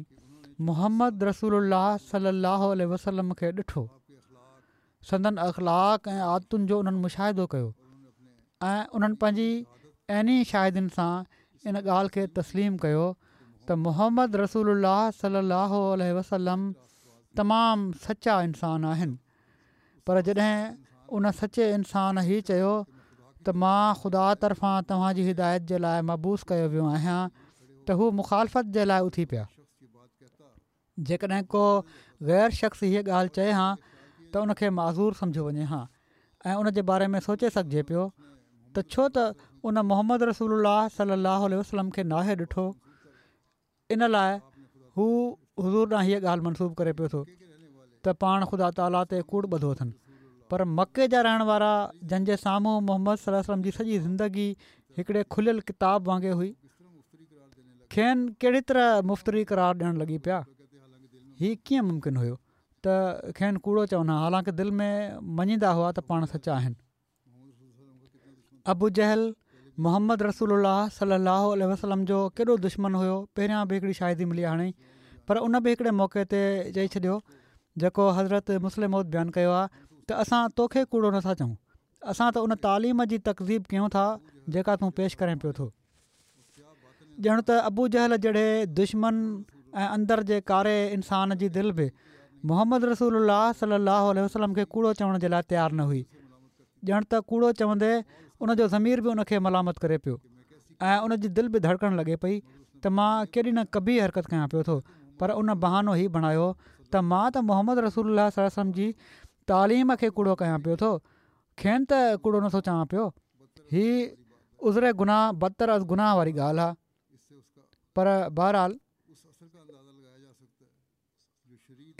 محمد رسول الله صلي الله عليه وسلم کي ڏٺو، سندن اخلاق ۽ عادتن جو انهن مشاهدو ڪيو ۽ انهن پنهنجي عيني شاهدين سان ان ڳالهه کي تسليم ڪيو ته محمد رسول الله صلي الله عليه وسلم تمام سچا انسان آهن. پر جڏهن ان سچي انسان هي چيو ته مان خدا طرفان توهان جي هدايت جي لاءِ مبعوث ڪيو ويو آهيان ته هو مخالفت جي لاءِ اٿي پيا. جيڪڏهن ڪو غير شخص هيءَ ڳالهه چئي هان ته ان کي معذور سمجهيو وڃي هان ۽ ان جي باري ۾ سوچي سگهجي پيو ته ڇو ته ان محمد رسول الله صلي الله عليه وسلم کي ناهي ڏٺو، ان لاءِ هو حضور ڏانهن هيءَ ڳالهه منسوب ڪري پيو ٿو ته پاڻ خدا تعاليٰ تي ڪوڙ ٻڌو اٿن. پر مڪي جا رهڻ وارا جن جي سامهون محمد صلي الله عليه وسلم جي سڄي زندگي هڪڙي کليل ڪتاب وانگي هئي، کين ڪهڙي طرح مفتري قرار ڏيڻ لڳي پيا؟ هي ڪيئن ممڪن هيو ته کين ڪوڙو چون ها، حالانڪه دل ۾ مڃيندا هئا ته پاڻ سچا آهن. ابو جهل محمد رسول الله صلي الله عليه وسلم جو ڪيڏو دشمن هيو، پهريان به هڪڙي شاهدي ملي هاڻي، پر ان به هڪڙي موقعي تي چئي ڇڏيو جيڪو حضرت مصلح موعود بيان ڪيو آهي ته اسان توکي ڪوڙو نٿا چئون، اسان ته ان تعليم جي تڪذيب ڪيون ٿا جيڪا تون پيش ڪرين پيو ٿو. ڄڻ ته ابو جهل جهڙي دشمن ۽ اندر جي ڪاري انسان جي دل به محمد رسول الله صلي الله عليه وسلم کي ڪوڙو چوڻ جي لاءِ تيار نه هئي. ڄڻ ته ڪوڙو چوندي ان جو ضمير به ان کي ملامت ڪري پيو ۽ ان جي دل به ڌڙڪڻ لڳي پئي ته مان ڪيڏي نه قبيح حرڪت ڪيان پيو ٿو. پر ان بهانو هي بڻايو ته مان ته محمد رسول الله صلي الله عليه وسلم جي تعليم کي ڪوڙو ڪيان پيو ٿو، کين ته ڪوڙو نٿو چوان پيو. هي عذر گناهه بدتر از گناهه واري ڳالهه آهي. پر بهرحال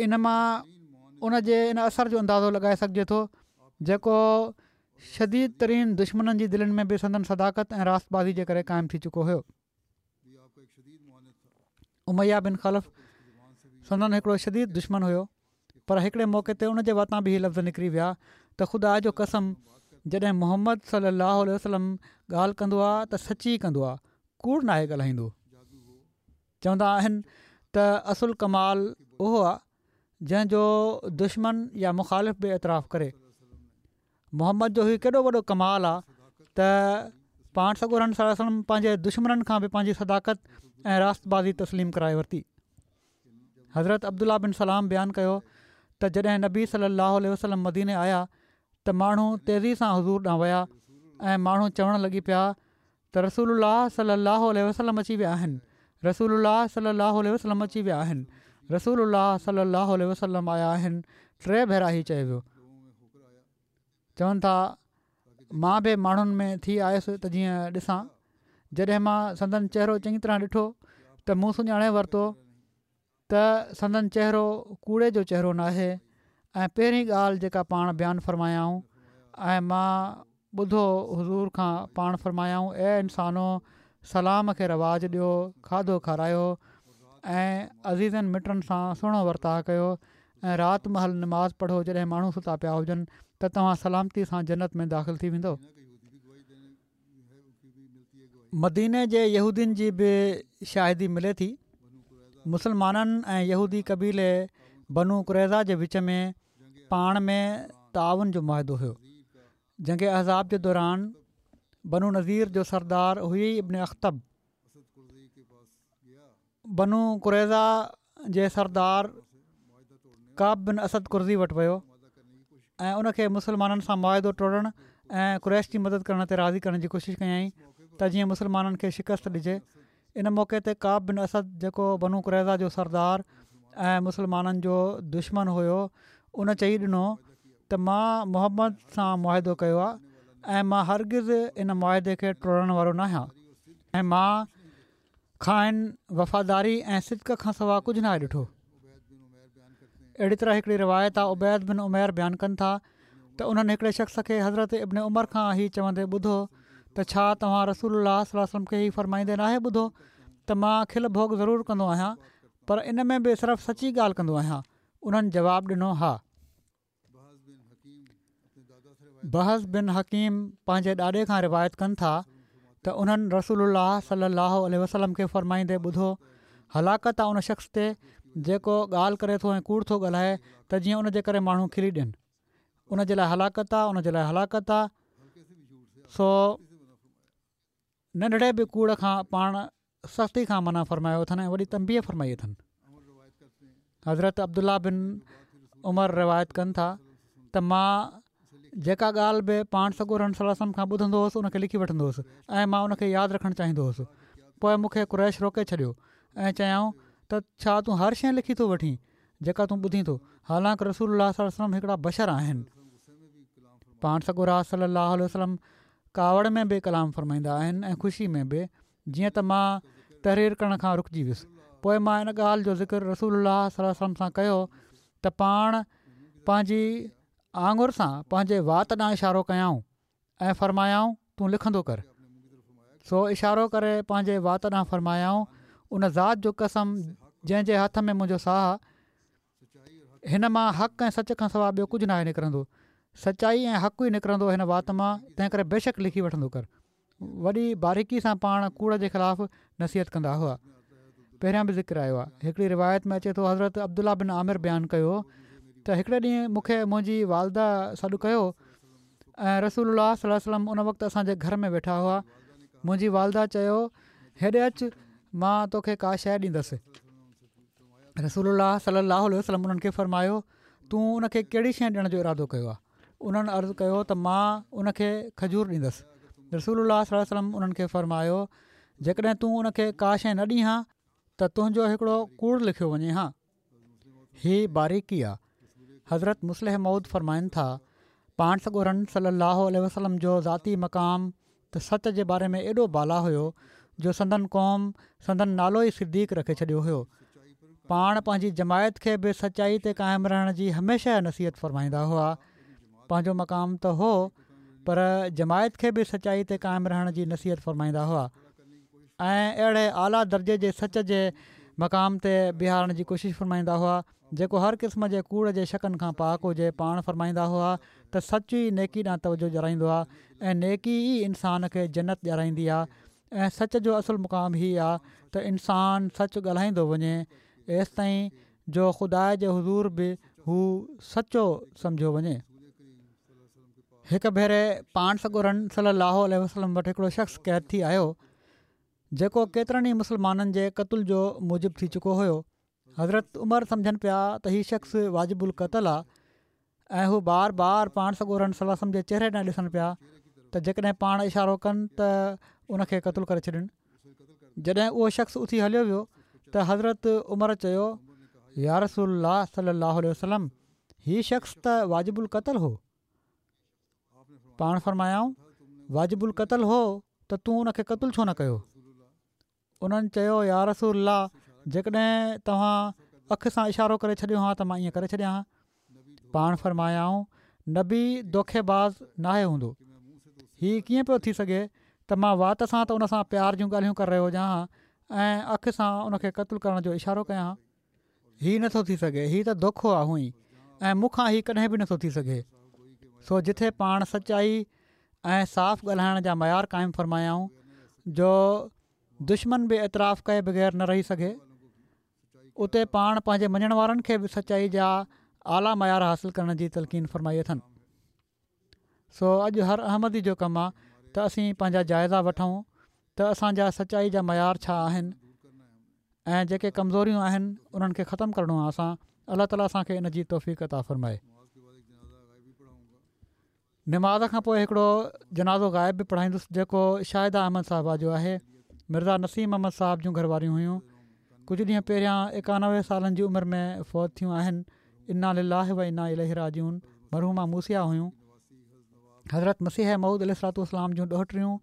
ان مان ان جي ان اثر جو اندازو لڳائي سگهجي ٿو جيڪو شديد ترين دشمنن جي دلين ۾ به سندن صداقت ۽ راست بازي جي ڪري قائم ٿي چڪو هيو. اميه بن خلف سندن هڪڙو شديد دشمن هيو، پر هڪڙي موقعي تي ان جي واتان به هي لفظ نڪري ويا ته خدا جو قسم جڏهن محمد صلي الله عليه وسلم ڳالهه ڪندو آهي ته سچي ڪندو آهي، ڪوڙ ناهي ڳالهائيندو. چوندا آهن ته اصل ڪمال اهو آهي جنهن جو دشمن يا مخالف به اعتراف ڪري. محمد جو هي ڪيڏو وڏو ڪمال آهي ته پاڻ سڳورن صلي الله عليه وسلم پنهنجي دشمنن کان به پنهنجي صداقت ۽ راست بازي تسليم ڪرائي ورتي. حضرت عبدالله بن سلام بيان ڪيو ته جڏهن نبي صلي الله عليه وسلم مديني آيا ته ماڻهو تيزي سان حضور ڏانهن ويا ۽ ماڻهو چوڻ لڳي پيا ته رسول الله صلي الله عليه وسلم اچي ويا آهن، رسول الله صلي الله عليه وسلم اچي ويا آهن، رسول الله صلي الله عليه وسلم آيا آهن. ٽي ڀيرا هي چيو ويو. چون ٿا مان به ماڻهن ۾ ٿي آيس ته جيئن ڏسان. جڏهن مان سندن چهرو چڱي طرح ڏٺو ته مون سڃاڻي ورتو ته سندن چهرو ڪوڙي جو چهرو ناهي ۽ پهرين ڳالهه جيڪا پاڻ بيان فرمايائون ۽ مان ٻڌو حضور کان پاڻ فرمايائون، اي انسانو سلام کي رواج ڏيو، کاڌو کارايو ۽ عزيزن مٽن سان سهڻو ورتاءُ ڪيو ۽ رات مهل نماز پڙهو جڏهن ماڻهو ستا پيا هجن ته توهان سلامتي سان جنت ۾ داخل ٿي ويندؤ. مديني جي يهودين جي به شاهدي ملي ٿي. مسلمانن ۽ يهودي قبيلي بنو قريظه جي وچ ۾ پاڻ ۾ تعاون جو معاهدو هيو. جنگ احزاب جي دوران بنو نضير جو سردار حيي ابن اخطب بنو قريظه جي سردار ڪعب بن اسد قرظي وٽ ويو ۽ ان کي مسلمانن سان معاهدو ٽوڙڻ ۽ قريش جي مدد ڪرڻ تي راضي ڪرڻ جي ڪوشش ڪيائين ته جيئن مسلمانن کي شڪست ڏجي. ان موقعي تي ڪعب بن اسد جيڪو بنو قريظه جو سردار ۽ مسلمانن جو دشمن هيو ان چئي ڏنو ته مان محمد سان معاهدو ڪيو آهي ۽ مان هرگز ان معاهدي کي ٽوڙڻ وارو ناهيان. ۽ مان کانئن وفاداري ۽ صدق کان سوا ڪجهه ناهي ڏٺو. اهڙي طرح هڪڙي روايت آ عبيد بن عمير بيان ڪن ٿا ته انهن هڪڙي شخص کي حضرت ابن عمر کان هي چوندي ٻڌو ته ڇا توهان رسول الله صلي الله عليه وسلم کي هي فرمائيندي ناهي ٻڌو ته مان کل ڀوڳ ضرور ڪندو آهيان پر ان ۾ به صرف سچي ڳالهه ڪندو آهيان. انهن جواب ڏنو ها. بهز بن حڪيم پنهنجي ڏاڏي کان روايت ڪن ٿا ته انهن رسول الله صلي الله عليه وسلم کي فرمائيندي ٻڌو، هلاڪت آ ان شخص تي جيڪو ڳالهه ڪري ٿو ۽ ڪوڙ ٿو ڳالهائي ته جيئن ان جي ڪري ماڻهو کلي ڏين. ان جي لاء هلاڪت آ، ان جي لاء هلاڪت آ. سو ننڍڙي به ڪوڙ کان پاڻ سختي کان منع فرمايو اٿن ۽ وڏي تنبيهه فرمائي اٿن. حضرت عبدالله بن عمر روايت ڪن ٿا ته مان جيڪا ڳالهه به پاڻ سڳورن صلي الله عليه وسلم کان ٻڌندو هوس ان کي لکي وٺندو هوس ۽ مان ان کي ياد رکڻ چاهيندو هوس. پوء مون کي قريش روڪي ڇڏيو ۽ چيائون ته ڇا تون هر شيء لکي ٿو وٺين جيڪا تون ٻڌين ٿو، حالانڪ رسول الله صلي الله عليه وسلم هڪڙا بشر آهن. پاڻ سڳورا صلي الله عليه وسلم ڪاوڙ ۾ به ڪلام فرمائيندا آهن ۽ خوشي ۾ به، جيئن ته مان تحرير ڪرڻ کان رڪجي ويس. پوء مان ان ڳالهه جو ذڪر رسول الله صلي الله عليه وسلم سان ڪيو ته پاڻ پنهنجي آڱر سان پنهنجي وات ڏانهن اشارو ڪيائون ۽ فرمايائون تون لکندو ڪر. سو اشارو ڪري پنهنجي وات ڏانهن فرمايائون ان ذات جو قسم جنهن جي هٿ ۾ منهنجو ساهه آ، هن مان حق ۽ سچ کان سوا ٻيو ڪجهه ناهي نڪرندو. سچائي ۽ حق ئي نڪرندو هن وات مان، تنهن ڪري بيشڪ لکي وٺندو ڪر. وڏي باريڪي سان پاڻ ڪوڙ جي خلاف نصيحت ڪندا هئا. پهريان به ذڪر آيو آهي. هڪڙي روايت ۾ اچي ٿو حضرت عبدالله بن عامر بيان ڪيو ته هڪڙي ڏينهن مون کي منهنجي والده سڏ ڪيو ۽ رسول الله صلي الله عليه وسلم ان وقت اسان جي گهر ۾ ويٺا هئا. منهنجي والده چيو هيڏي اچ مان توکي ڪا شيء ڏيندس. رسول الله صلي الله عليه وسلم انهن کي فرمايو تون ان کي ڪهڙي شيء ڏيڻ جو ارادو ڪيو آهي؟ انهن عرض ڪيو ته مان ان کي کجور ڏيندس. رسول الله صلي الله عليه وسلم انهن کي فرمايو جيڪڏهن تون ان کي ڪا شيء نه ڏين ها ته تنهنجو هڪڙو ڪوڙ لکيو وڃي ها. هي باريڪي آ. حضرت مصلح موعود فرمائن ٿا، پاڻ سڳورن صلي الله عليه وسلم جو ذاتي مقام ته سچ جي باري ۾ ايڏو بالا هيو جو سندن قوم سندن نالو ئي صديق رکي ڇڏيو هيو. پاڻ پنهنجي جماعت کي به سچائي تي قائم رهڻ جي هميشه نصيحت فرمائيندا هئا. پنهنجو مقام ته هو پر جماعت کي به سچائي تي قائم رهڻ جي نصيحت فرمائيندا هئا ۽ اهڙي اعليٰ درجي جي سچ جي مقام تي بيهارڻ جي ڪوشش فرمائيندا هئا جيڪو هر قسم جي ڪوڙ جي شڪن کان پاڪ هجي. پاڻ فرمائيندا هئا ته سچ ئي نيڪي ڏانهن توجه ڏيارائيندو آهي ۽ نيڪي ئي انسان کي جنت ڏيارائيندي آهي ۽ سچ جو اصل مقام هي آهي ته انسان سچ ڳالهائيندو وڃي ايستائين جو خدا جي حضور به هو سچو سمجهيو وڃي. هڪ ڀيري پاڻ سڳورن صلي الله عليه وسلم وٽ هڪڙو شخص قيد ٿي آيو جيڪو ڪيترن ئي مسلمانن جي قتل جو موجب ٿي چڪو هيو. حضرت عمر سمجهن پيا ته هي شخص واجب القتل آ ۽ هو بار بار پاڻ سڳورن صلي الله عليه وسلم جي چهري ڏانهن ڏسن پيا ته جيڪڏهن پاڻ اشارو ڪن ته ان کي قتل ڪري ڇڏين. جڏهن اهو شخص اٿي هليو ويو ته حضرت عمر چيو يا رسول الله صلي الله عليه وسلم هي شخص ته واجب القتل هو. پاڻ فرمايائون واجب القتل هو ته تون ان کي قتل ڇو نه ڪيو؟ انهن چيو يا رسول الله جيڪڏهن توهان اک سان اشارو ڪري ڇڏيو ها ته مان ائين ڪري ڇڏيان ها. پاڻ فرمايائون نبي دوکي باز ناهي هوندو. هي ڪيئن پيو ٿي سگهي ته مان وات سان ته ان سان پيار جون ڳالهيون ڪري رهيو هجان ها ۽ اک سان ان کي قتل ڪرڻ جو اشارو ڪيان ها. هي نه ٿو ٿي سگهي، هي ته دوکو آ هونئن ئي ۽ مون کان هي ڪڏهن به نه ٿو ٿي سگهي. سو جٿي پاڻ سچائي ۽ صاف ڳالهائڻ جا معيار قائم فرمايائون جو دشمن به اعتراف ڪئي بغير نه رهي سگهي، اتي پاڻ پنهنجي مڃڻ وارن کي به سچائي جا اعليٰ معيار حاصل ڪرڻ جي تلقين فرمائي اٿن. سو اڄ هر احمدي جو ڪم آ ته اسين پنهنجا جائزا وٺون ته اسان جا سچائي جا معيار ڇا آهن ۽ جيڪي ڪمزوريون آهن انهن کي ختم ڪرڻو آ اسان الله تعالي اسان کي ان جي توفيق عطا فرمائي. نماز کان پوء هڪڙو جنازو غائب به پڙهائيندس جيڪو شاهده احمد صاحبه جو آهي مرزا نسيم احمد صاحب جون گهر واريون هيون ڪجهه ڏينهن پهريان ايڪانوي سالن جي عمر ۾ فوت ٿيون آهن انا لله و انا اليه راجعون مرحومه موصيه هيون. حضرت مسيح موعود عليه الصلوة والسلام جون ڏوهٽريون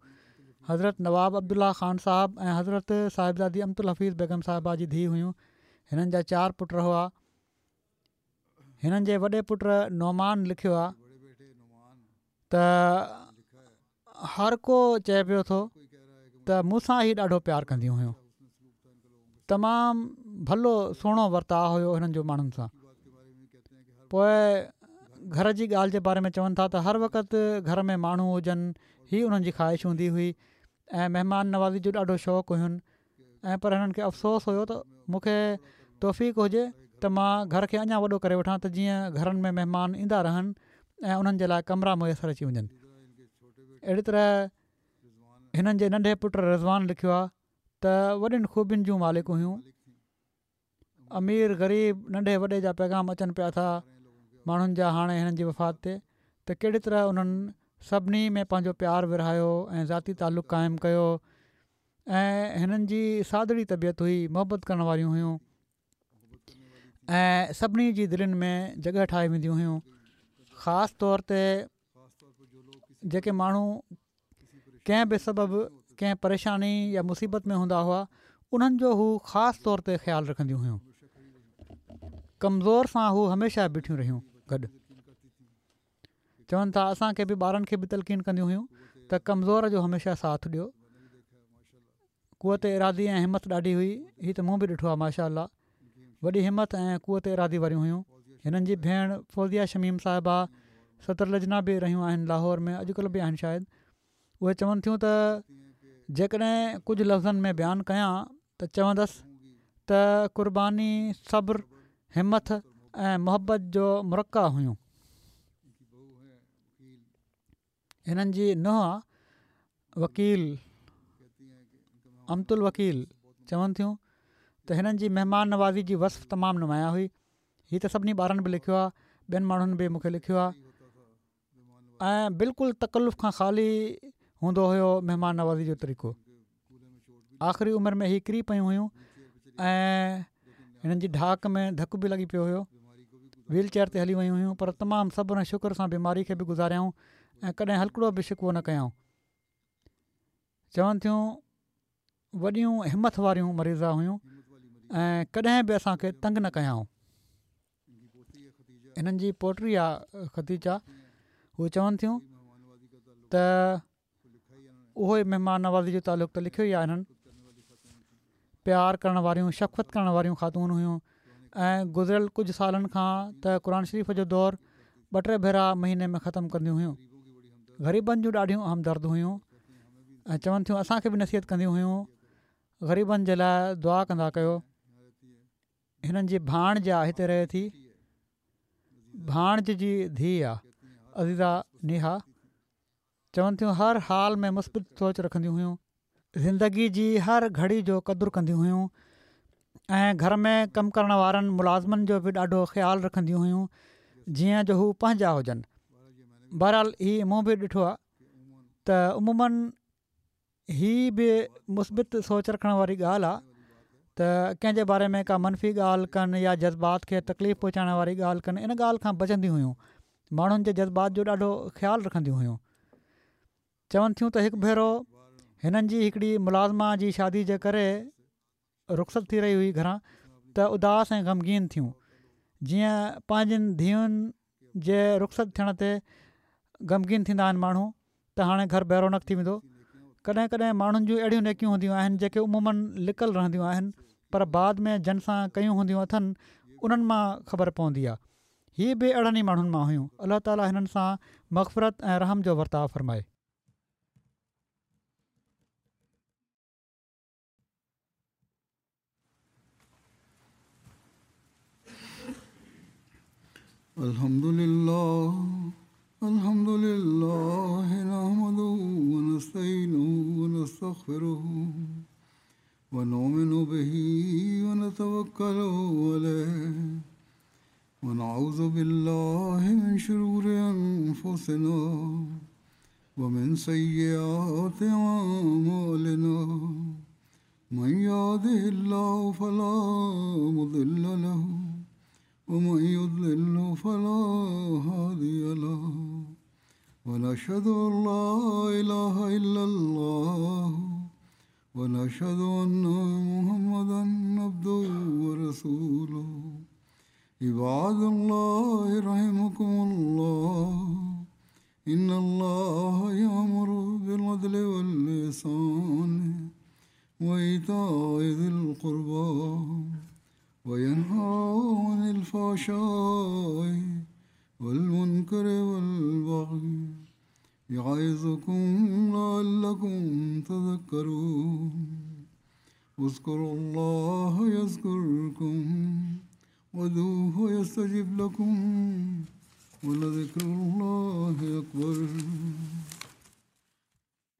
حضرت نواب عبدالله خان صاحب ۽ حضرت صاحبزادي امت الحفيظ بيگم صاحبه جي ڌيءَ هيون. هنن جا چار پٽ هئا. هنن جي وڏي پٽ نعمان لکيو آهي ته هر ڪو چئي پيو ٿو ته مون سان هي ڏاڍو پيار ڪنديون هيون. تمام ڀلو سهڻو ورتاءُ هيو هنن جو ماڻهن سان. پوءِ گهر جي ڳالهه جي باري ۾ چون ٿا ته هر وقت گهر ۾ ماڻهو هجن، هي انهن جي خواهش هوندي هئي ۽ مهمان نوازي جو ڏاڍو شوق هين. ۽ پر هنن کي افسوس هيو ته مون کي توفيق هجي ته مان گهر کي اڃا وڏو ڪري وٺان ته جيئن گهرن ۾ مهمان ايندا رهن ۽ انهن جي لاءِ ڪمرا ميسر اچي وڃن. اهڙي طرح هنن جي ننڍي پٽ رضوان لکيو آهي ته وڏين خوبين جون مالڪ هيون. امير غريب ننڍي وڏي جا پيغام اچن پيا ٿا ماڻهن جا هاڻي هنن جي وفات تي ته ڪهڙي طرح انهن سڀني ۾ پنهنجو پيار ورهايو ۽ ذاتي تعلق قائم ڪيو. ۽ هنن جي سادڙي طبيعت هئي، محبت ڪرڻ واريون هيون ۽ سڀني جي دلين ۾ جڳهه ٺاهي وينديون هيون. خاص طور تي جيڪي ماڻهو ڪنهن به سبب ڪنهن پريشاني يا مصيبت ۾ هوندا هئا انهن جو هو خاص طور تي خيال رکنديون هيون. ڪمزور سان هو هميشه بيٺيون رهيون گڏ. چون ٿا اسان کي به ٻارن کي به تلقين ڪنديون هيون ته ڪمزور جو هميشه ساٿ ڏيو. قوت ارادي ۽ همت ڏاڍي هئي. هي ته مون به ڏٺو آهي ماشاءَ الله، وڏي همت ۽ قوت ارادي واريون هيون. هنن جي ڀيڻ فوزيه شميم صاحبه صدر لجنا به رهيون آهن لاهور ۾ اڄڪلهه به آهن شايد. اهي چون ٿيون ته جيڪڏهن ڪجهه لفظن ۾ بيان ڪيان ته چوندس ته قرباني، صبر، همت ۽ محبت جو مرقع هيون. هنن جي ننهن وڪيل امت الوڪيل چون ٿيون ته هنن جي مهمان نوازي جي وصف تمام نمايان هئي. هي ته سڀني ٻارن به لکيو آهي، ٻين ماڻهن به مون کي لکيو آهي. ۽ بلڪل تڪلف کان خالي هوندو هيو مهمان نوازي جو طريقو. آخري عمر ۾ هي ڪري پيون هيون ۽ هنن جي ڍاڪ ۾ ڌڪ به لڳي پيو هيو. ويل چيئر تي هلي ويون هيون پر تمام صبر ۽ شڪر سان بيماري کي به گذاريائون ۽ ڪڏهن هلڪڙو به شڪوو نه ڪيائون. چون ٿيون وڏيون همت واريون مريضا هيون ۽ ڪڏهن به اسان کي تنگ نه ڪيائون. هنن جي پوٽي آهي خديجه، هو چون ٿيون ته اهو ئي مهمان نوازي جو تعلق ته لکيو ئي آهي. هنن پيار ڪرڻ واريون، شفقت ڪرڻ واريون خاتون هيون ۽ گذريل ڪجهه سالن کان ته قرآن شريف جو دور ٻه ٽي ڀيرا مهيني ۾ ختم ڪنديون هيون. غريبن جون ڏاڍيون همدرد هيون ۽ چون ٿيون اسان کي به نصيحت ڪنديون هيون غريبن جي لاءِ دعا ڪندا ڪيو. هنن جي ڀاڻج آهي هتي رهي ٿي، ڀاڻج جي ڌيءَ آهي عزيزه نيها. چون ٿيون هر حال ۾ مثبت سوچ رکنديون هيون، زندگي جي هر گهڙي جو قدر ڪنديون هيون ۽ گهر ۾ ڪم ڪرڻ وارن ملازمن جو به ڏاڍو خيال رکنديون هيون جيئن جو هو پنهنجا هجن. بهرحال هي مون به ڏٺو آهي ته عموماً هي به مثبت سوچ رکڻ واري ڳالهه آهي ته ڪنهن جي باري ۾ ڪا منفي ڳالهه ڪن يا جذبات کي تڪليف پهچائڻ واري ڳالهه ڪن، ان ڳالهه کان بچنديون هيون. ماڻهن جي جذبات جو ڏاڍو خيال رکنديون هيون. چون ٿيون ته هڪ ڀيرو هنن جي هڪڙي ملازمه جي شادي جي ڪري رخصت ٿي رهي هئي گهران ته اداس ۽ غمگين ٿيون، جيئن پنهنجين ڌيئن جي رخصت ٿيڻ تي غمگين ٿيندا آهن ماڻهو ته هاڻي گهر بيرونق ٿي ويندو. ڪڏهن ڪڏهن ماڻهن جون اهڙيون نيڪيون هونديون آهن جيڪي عموماً لڪل رهنديون آهن پر بعد ۾ جن سان ڪيون هونديون اٿن انهن مان خبر پوندي آهي. هي به اهڙن ئي ماڻهن مان هيون. الله تعاليٰ هنن سان مغفرت ۽ رحم جو ورتاءُ فرمائي. الحمد لله الحمد لله نحمده ونستعينه ونستغفره ونؤمن به ونتوكل عليه ونعوذ بالله من شرور أنفسنا ومن سيئات أعمالنا من يهده الله فلا مضل له ومن يضلل فلا هادي له ونشهد أن لا إله إلا الله ونشهد أن محمدا عبده ورسوله. عباد الله رحمكم الله، إن الله يأمر بالعدل والإحسان وإيتاء ذي القربى وينهى عن الفحشاء والمنكر والبغي يعظكم لعلكم تذكرون. اذكروا الله يذكركم وادعوه يستجب لكم ولذكر الله أكبر.